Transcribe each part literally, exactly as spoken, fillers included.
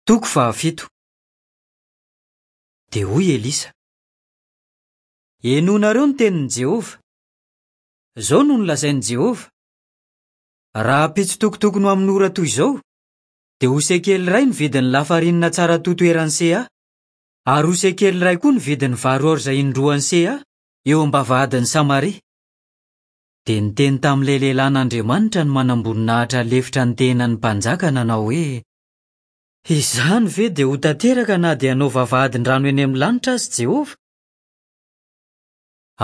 Toko fahafito. Dia hoy Elisa: Henoinareo ny tenin'i Jehovah. Izao no nolazain'i Jehovah: Rahampitso tokotokony ho amin'ny ora toy izao, dia ho sekely iray ny vidin'ny lafarinina tsara toto eran'ny seha, ary ho sekely iray koa ny vidin'ny vary orza indroan'ny seha eo am-bavahadin'i Samaria. Dia niteny tamin'ilay lehilahin'Andriamanitra ny manamboninahitra lefitra ny tenan'ny mpanjaka nanao hoe: Izany ve dia ho tanteraka na dia hanao vavahadin-drano eny amin'ny lanitra aza Jehovah?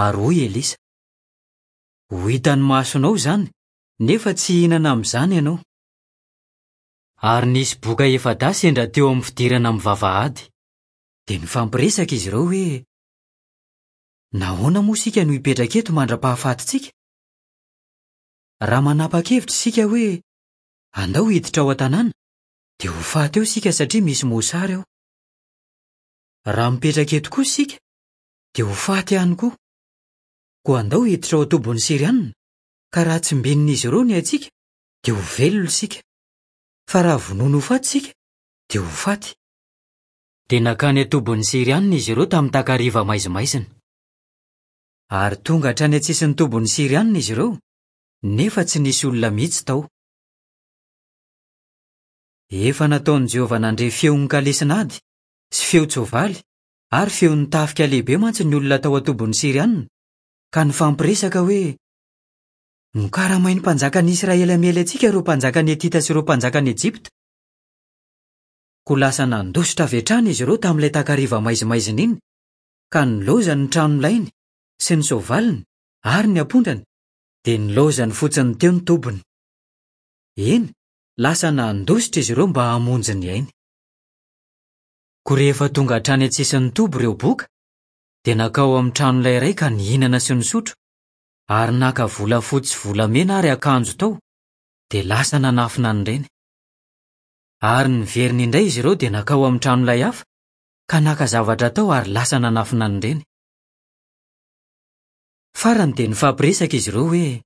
Ary hoy Elisa: Ho hitan'ny masonao izany, nefa tsy hihinana amin'izany ianao. Ary nisy boka efa-dahy sendra teo amin'ny fidirana amin'ny vavahady. Dia nifampiresaka izy ireo hoe: Nahoana moa isika no hipetraka eto mandra-pahafatintsika? Raha manapa-kevitra isika hoe andao hiditra ao an-tanàna, dia ho faty eo isika satria misy mosary ao. Raha mipetraka eto kosa isika, dia ho faty ihany koa. Koa andao hiditra ao an-tobin'ny Sirianina, ka raha tsimbinin'izy ireo ny aintsika, dia ho velona isika. Fa raha vonoina ho faty isika, dia ho faty. Dia nankany an-tobin'ny Sirianina izy ireo tamin'ny takariva maizimaizina. Ary tonga hatrany an-tsisin'ny tobin'ny Sirianina izy ireo, nefa tsy nisy olona mihitsy tao. Efa nataon'i Jehovah nandre feon'ny kalesin'ady sy feon-tsoavaly ary feon'ny tafika lehibe mantsy ny olona tao an-tobin'ny Sirianina, ka nifampiresaka hoe: Nokaramain'ny mpanjakan'i Israely hamely antsika ireo mpanjakan'i Hetita sy ireo mpanjakan'i Ejipta. Koa lasa nandositra avy hatrany izy ireo tamin'ilay takariva maizimaizina iny, ka nilaozany ny tranolainy sy ny soavaliny ary ny ampondrany, dia nilaozany fotsiny teo ny tobiny. Eny, lasa nandositra izy ireo mba hamonjy ny ainy. Koa rehefa tonga hatrany an-tsisin'ny toby ireo boka, dia nankao amin'ny tranolay iray ka nihinana sy nisotro, ary naka volafotsy sy volamena ary akanjo tao, dia lasa nanafina an'ireny. Ary niverina indray izy ireo dia nankao amin'ny tranolay hafa, ka naka zavatra tao ary lasa nanafina an'ireny. Farany dia nifampiresaka izy ireo hoe: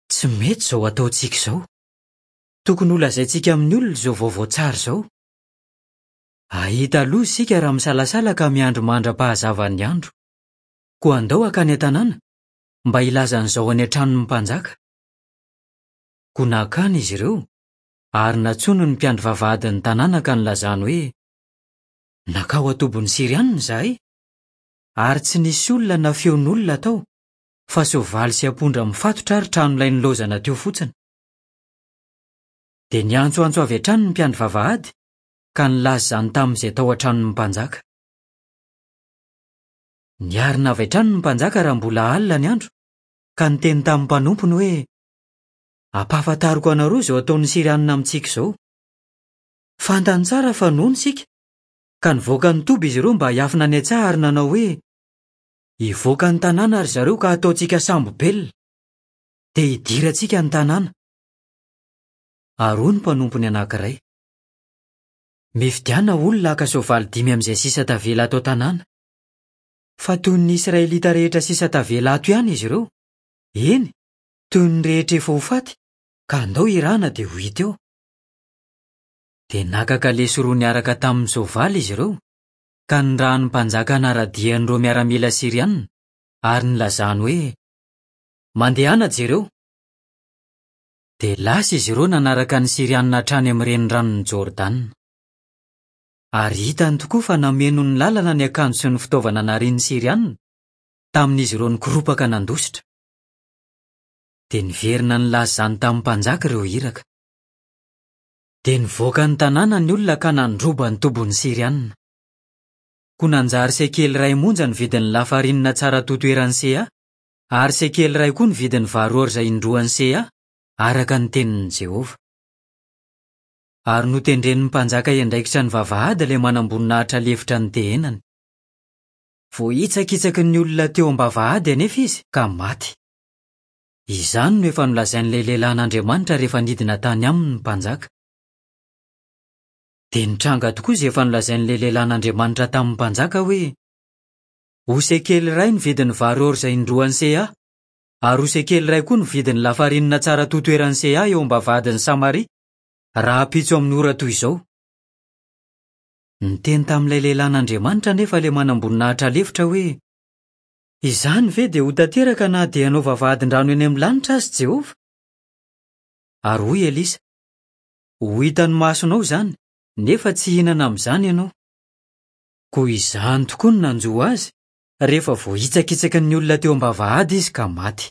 Tsy mety izao ataontsika izao. Tokony holazaintsika amin'ny olona izao vaovao tsara izao. Hahita loza isika raha misalasala ka miandry mandra-pahazavan'ny andro. Koa andao hankany an-tanàna mba hilaza an'izao any an-tranon'ny mpanjaka. Koa nankany izy ireo, ary nantsoiny ny mpiandry vavahadin'ny tanàna ka nilazany hoe: Nankao an-tobin'ny Sirianina izahay, ary tsy nisy olona na feon'olona tao, fa soavaly sy ampondra mifatotra ary tranolay nilaozana teo fotsiny. Dia niantsoantso avy hatrany ny mpiandry vavahady, ka nilaza izany tamin'izay tao an-tranon'ny mpanjaka. Niarina avy hatrany ny mpanjaka raha mbola alina ny andro, ka niteny tamin'ny mpanompony hoe: Ampahafantariko anareo izao ataon'ny Sirianina amintsika izao. Fantany tsara fa noana isika, ka nivoaka ny toby izy ireo mba hiafina any an-tsaha ary nanao hoe: Hivoaka ny tanàna ry zareo ka hataontsika sambo-belona, dia hidirantsika ny tanàna. Ary hoy ny mpanompony anankiray: Mifidiana olona haka soavaly dimy amin'izay sisa tavela ato an-tanàna. Fa toy ny Israelita rehetra sisa tavela ato ihany izy ireo, eny, toy ny rehetra efa ho faty, ka andao hirana dia ho hita eo. Dia naka kalesy roa niaraka tamin'ny soavaly izy ireo, ka nirahan'ny mpanjaka hanara-dia an'ireo miaramila Sirianina, ary nilazany hoe: Mandehana jereo. Dia lasa izy ireo nanaraka ny Sirianina hatrany amin'ny reniranon'i Jordana. Ary hitany tokoa fa nameno ny lalana ny akanjo sy ny fitaovana narian'ny Sirianina, tamin'izy ireo nikoropaka nandositra. Dia niverina nilaza izany tamin'ny mpanjaka ireo iraka. Dia nivoaka ny tanàna ny olona ka nandroba ny tobin'ny Sirianina. Koa nanjary sekely iray monja ny vidin'ny lafarinina tsara toto eran'ny seha, ary sekely iray koa ny vidin'ny vary orza indroan'ny seha, araka ny tenin'i Jehovah. Ary notendren'ny mpanjaka hiandraikitra ny vavahady ilay manamboninahitra lefitra ny tehenany. Voahitsakitsaky ny olona teo am-bavahady anefa izy ka maty. Izany no efa nolazain'ilay lehilahin'Andriamanitra rehefa nidina tany aminy ny mpanjaka. Dia nitranga tokoa izay efa nolazain'ilay lehilahin'Andriamanitra tamin'ny mpanjaka hoe: Ho sekely iray ny vidin'ny vary orza indroan'ny seha, ary ho sekely iray koa ny vidin'ny lafarinina tsara toto eran'ny seha eo am-bavahadin'i Samaria, rahampitso amin'ny ora toy izao. Niteny tamin'ilay lehilahin'Andriamanitra anefa ilay manamboninahitra lefitra hoe: "Izany ve dia ho tanteraka na dia hanao vavahadin-drano eny amin'ny lanitra aza Jehovah?" Ary hoy Elisa: "Ho hitan'ny masonao izany, nefa tsy hihinana amin'izany ianao." Koa izany tokoa no nanjo azy, rehefa voahitsakitsaky ny olona teo am-bavahady izy ka maty.